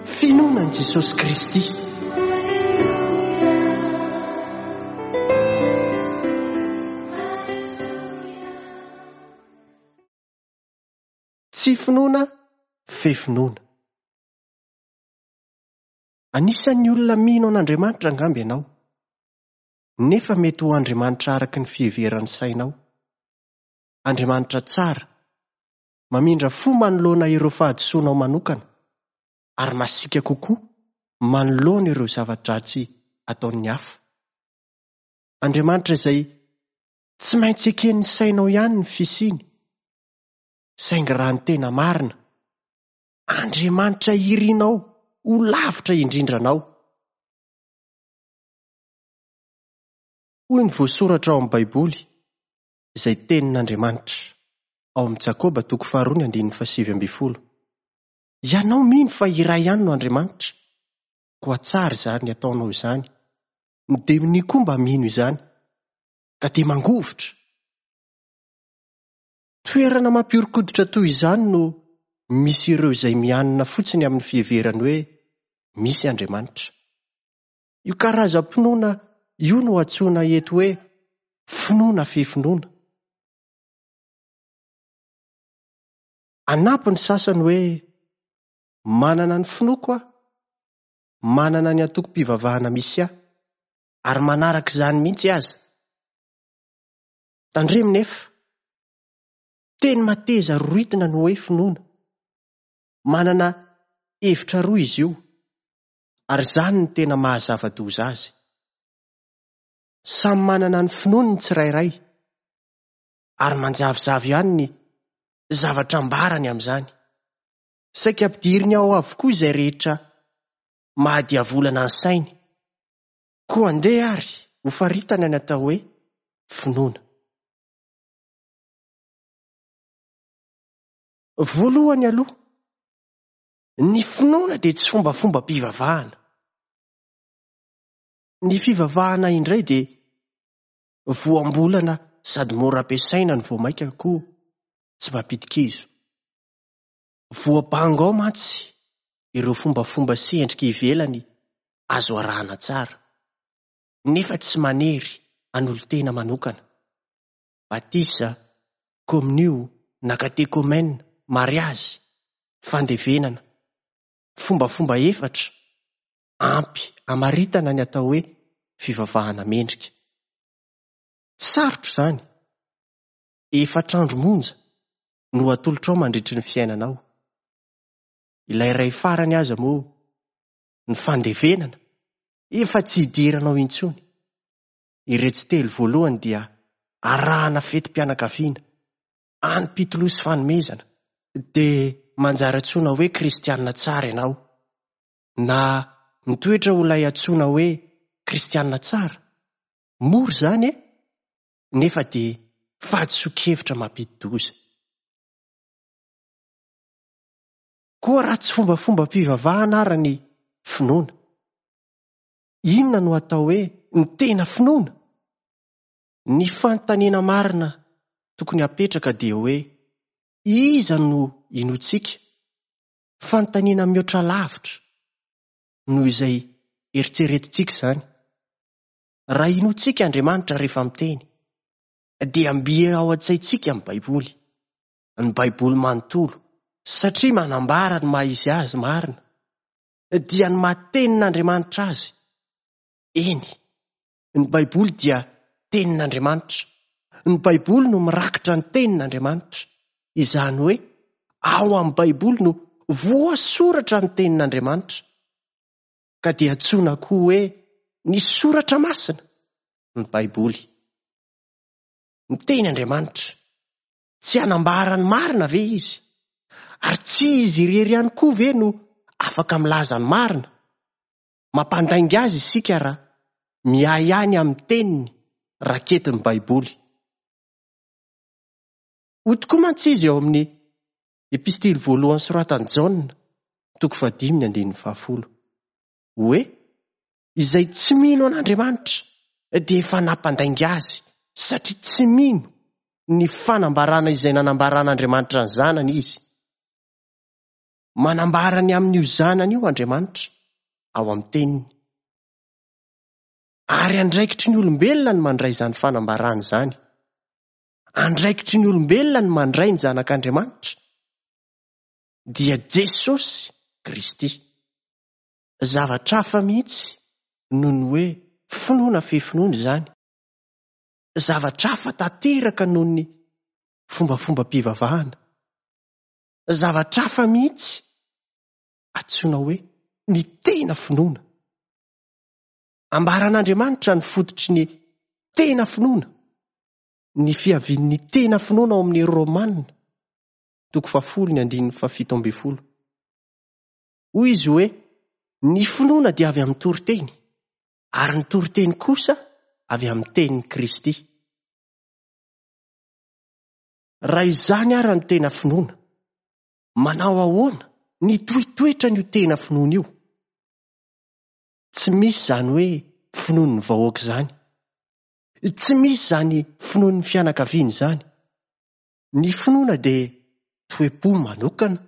Finoana an'i Jesosy Kristy. Tsy finoana fe finoana. Anisan'ny olona mino an'Andriamanitra angamba ianao. Nefa mety ho Andriamanitra araka ny fiheveran'ny sainao. Andriamanitra tsara, mamindra fo manoloana ireo fahadisoanao manokana, ary masiaka kokoa manoloana ireo zava-dratsy ataon'ny hafa. Andriamanitra izay tsy maintsy eken'ny sainao ihany ny fisiany, saingy raha ny tena marina, Andriamanitra irinao ho lavitra indrindra anao. Hoy ny voasoratra ao amin'ny Baiboly, izay Tenin'Andriamanitra, ao amin'ny Jakoba toko faharoa ny andininy fahasivy ambin'ny folo, Ianao mino fa iray ihany no Andriamanitra, koa tsara izany ataonao izany, ny demonia koa mba mino izany, ka dia mangovitra. Toerana mampihoron-koditra toy izany no misy ireo izay mianina fotsiny amin'ny fiheverany hoe misy Andriamanitra. Io karazam-pinoana io no antsoina eto hoe finoana fefinoana. Hanampy ny sasany hoe, Manana ny finoako aho, manana ny antokom-pivavahana misy ahy, ary manaraka izany mihitsy aza. Tandremo nefa, teny mateza roritina ny hoe finoana. Manana hevitra roa izy io, ary izany no tena maha zava-doza azy. Samy manana ny finoany ny tsirairay, ary manjavozavo ihany ny zavatra ambarany amin'izany. Saika ampidiriny ao avokoa izay rehetra mahadiavolana ny sainy. Koa andeha ary hofaritana ny atao hoe finoana. Voalohany aloha, ny finoana dia tsy fombafombam-pivavahana. Ny fivavahana indray dia voambolana sady mora ampiasaina no vao mainka koa tsy mampidi-kizo. Voabango ao mantsy ireo fombafomba sy endrika ivelany azo arahana tsara, nefa tsy manery an'olon-tena manokana. Batisa, kominio na katekomena, mariazy, fandevenana. Fombafomba efatra ampy hamaritana ny atao hoe fivavahana mendrika. Tsy sarotra izany. Efatra andro monja no atolotrao mandritry ny fiainanao. Ilay iray farany aza moa, ny fandevenana, efa tsy idiranao intsony. Iretsy telo voalohany dia arahana fetim-pianakaviana, anim-pitoloha sy fanomezana, dia manjary antsoina hoe kristiana tsara ianao, na mitoetra ho ilay antsoina hoe kristiana tsara. Mora izany e! Nefa dia fahadisoan-kevitra mampidi-doza. Koa raha tsy fombafombam-pivavahana ara ny finoana, inona no atao hoe ny tena finoana? Ny fanontaniana marina tokony hapetraka dia hoe, iza no inoantsika? Fanontaniana mihoatra lavitra noho izay eritreretintsika izany. Raha inoantsika Andriamanitra rehefa miteny, dia mby ao an-tsaintsika ny Baiboly, ny Baiboly manontolo, satria manambara ny maha izy azy marina, dia ny maha tenin'Andriamanitra azy. Eny, ny Baiboly dia tenin'Andriamanitra. Ny Baiboly no mirakitra ny tenin'Andriamanitra. Izany hoe, ao amin'ny Baiboly no voasoratra ny tenin'Andriamanitra. Ka dia antsoina koa hoe ny Soratra Masina ny Baiboly. Miteny Andriamanitra. Tsy hanambara ny marina ve Izy? Ary tsy Izy irery ihany koa ve no afaka milaza ny marina? Mampandainga Azy isika raha miahiahy ny amin'ny Teniny raketin'ny Baiboly. Hoy tokoa mantsy Izy ao amin'ny Epistily voalohany soratan'i Jaona, toko fahadimy ny andininy fahafolo, hoe, Izay tsy mino an'Andriamanitra dia efa nampandainga azy, satria tsy mino ny fanambarana izay nanambaran'Andriamanitra ny Zanany izy. Manambara ny amin'io Zanany io Andriamanitra ao amin'ny Teniny. Ary andraikitry ny olombelona ny mandray izany fanambarana izany. Andraikitry ny olombelona ny mandray ny Zanak'Andriamanitra, dia Jesosy Kristy. Zavatra hafa mihitsy noho ny hoe finoana fe finoana izany. Zavatra hafa tanteraka noho ny fombafombam-pivavahana. Zavatra hafa mihitsy antsoina hoe ny tena finoana. Ambaran'Andriamanitra ny fototry ny tena finoana, ny fiavian'ny tena finoana ao amin'ny Romana, toko fahafolo ny andininy fahafito ambin'ny folo. Hoy izy hoe, Ny finoana dia avy amin'ny toriteny, ary ny toriteny kosa avy amin'ny tenin'i Kristy. Raha izany ara ny tena finoana, manao ahoana ny toetoetran'io tena finoana io? Tsy misy izany hoe finoan'ny vahoaka izany. Tsy misy izany finoan'ny fianakaviana izany. Ny finoana dia toe-po manokana,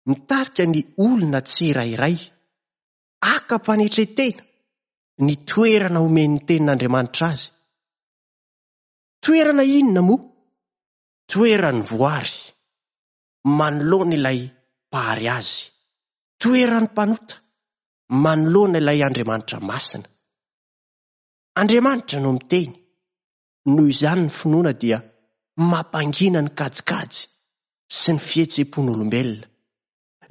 mitarika ny olona tsirairay haka am-panetren-tena ny toerana omen'ny Tenin'Andriamanitra azy. Toerana inona moa? Toeran'ny voary manoloana ilay Mpahary azy. Toeran'ny mpanota manoloana ilay Andriamanitra masina. Andriamanitra no miteny. Noho izany ny finoana dia mampangina ny kajikajy sy ny fihetseham-pon'olombelona.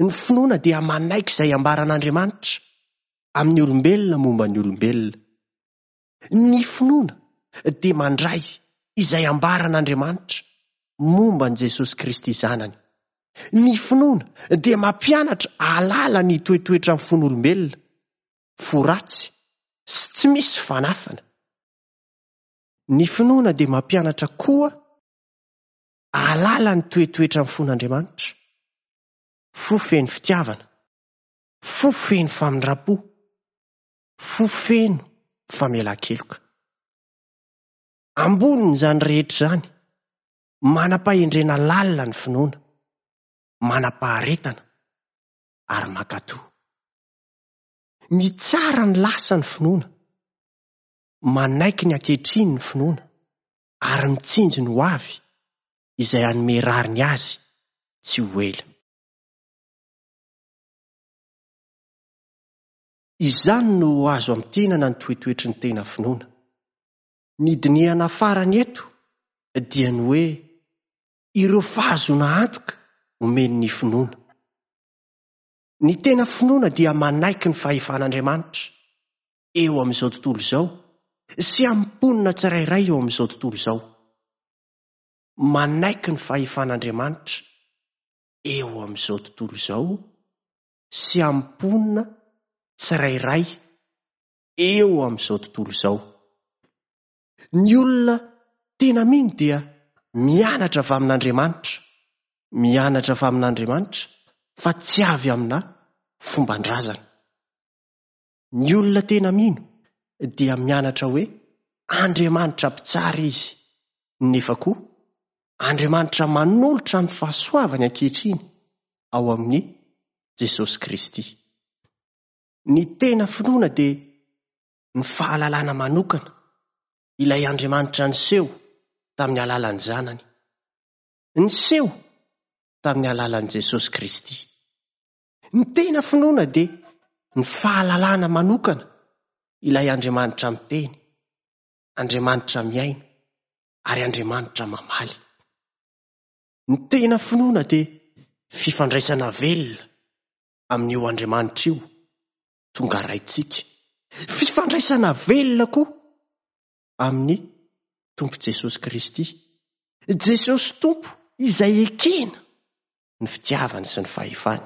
Ny finoana dia manaiky izay ambaran'Andriamanitra amin'ny olombelona momba ny olombelona. Ny finoana dia mandray izay ambaran'Andriamanitra momba an'i Jesosy Kristy Zanany. Ny finoana dia mampianatra hahalala ny toetoetran'ny fon'olombelona, fo ratsy sy tsy misy fanafana. Ny finoana dia mampianatra koa hahalala ny toetoetran'ny fon'Andriamanitra, fo feno fitiavana, fo feno famindram-po, fo feno famelan-keloka. Ambonin'izany rehetra izany, manam-pahendrena lalina ny finoana, manam-paharetana ary mankatò. Mitsara ny lasa ny finoana, manaiky ny ankehitriny ny finoana ary mitsinjo ny hoavy izay hanome rariny azy tsy ho ela. Izany no azo amintinana ny toetoetry ny tena finoana. Ny dinihana farany eto dia ny hoe ireo fahazoana antoka omen'ny finoana. Ny tena finoana dia manaiky ny fahefan'Andriamanitra eo amin'izao tontolo izao sy amin'ny mponina tsirairay eo amin'izao tontolo izao. Manaiky ny fahefan'Andriamanitra eo amin'izao tontolo izao sy amin'ny mponina tsirairay eo amin'izao tontolo izao. Ny olona tena mino dia mianatra avy amin'Andriamanitra, mianatra avy amin'Andriamanitra fa tsy avy amina fomban-drazana. Ny olona tena mino dia mianatra hoe Andriamanitra mpitsara Izy, nefa koa Andriamanitra manolotra ny fahasoavany ankehitriny ao amin'i Jesosy Kristy. Ny tena finoana dia ny fahalalana manokana ilay Andriamanitra niseho tamin'ny alalan'ny Zanany. Niseho tamin'ny alalan'i Jesosy Kristy. Ny tena finoana dia ny fahalalana manokana ilay Andriamanitra miteny, Andriamanitra mihaino ary Andriamanitra mamaly. Ny tena finoana dia fifandraisana velona amin'io Andriamanitra io tonga Raintsika. Fifandraisana velona koa amin'ny Tompo Jesosy Kristy. Jesosy Tompo izay ekena ny fitiavany sy ny fahefany.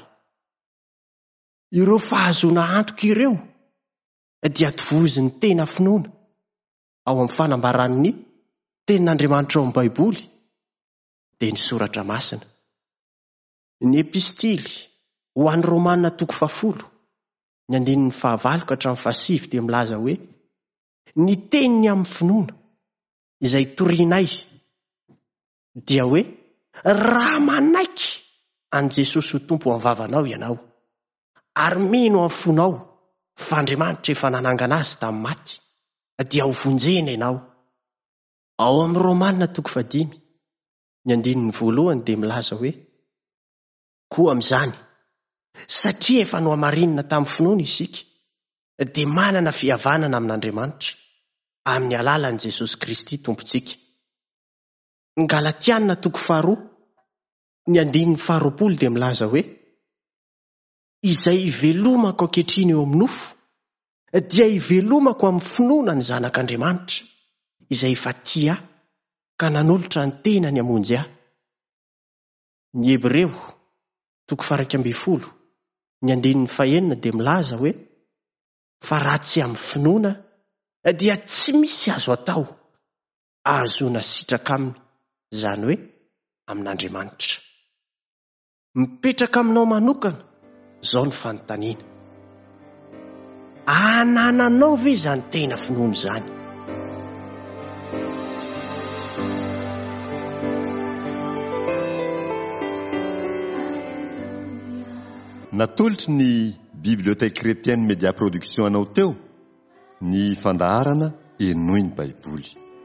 Ireo fahazoana antoka ireo dia tovozin'ny tena finoana ao amin'ny fanambaran'ny Tenin'Andriamanitra ao amin'ny Baiboly, dia ny Soratra Masina. Ny Epistily ho an'ny Romana toko fahafolo, ny andininy fahavalo ka hatramin'ny fahasivy dia milaza hoe, Ny teniny amin'ny finoana izay torianay dia hoe, raha manaiky an'i Jesosy ho Tompo amin'ny vavanao ianao, ary mino amin'ny fonao fa Andriamanitra efa nanangana Azy tamin'ny maty, dia ho vonjena ianao. Ao amin'ny Romana toko fahadimy, ny andininy voalohany dia milaza hoe, Koa amin'izany, satria efa nohamarinina tamin'ny finoana isika, dia manana fihavanana amin'Andriamanitra, amin'ny alalan'i Jesosy Kristy Tompontsika. Ny Galatiana toko faharoa, ny andininy faharoapolo dia milaza hoe, Izay ivelomako ankehitriny eo amin'ny nofo, dia ivelomako amin'ny finoana ny Zanak'Andriamanitra, izay efa tia ahy ka nanolotra ny tenany hamonjy ahy. Ny Hebreo, toko faha-11, ny andininy fahenina dia milaza hoe, Fa raha tsy amin'ny finoana dia tsy misy azo atao ahazoana sitraka aminy, izany hoe amin'Andriamanitra. Mipetraka aminao manokana izao ny fanontaniana, Anananao ve izany tena finoana izany? Natolotry ny Bibliothèque Chrétienne Media Production anao teo ny fandaharana Henoy ny Baiboly.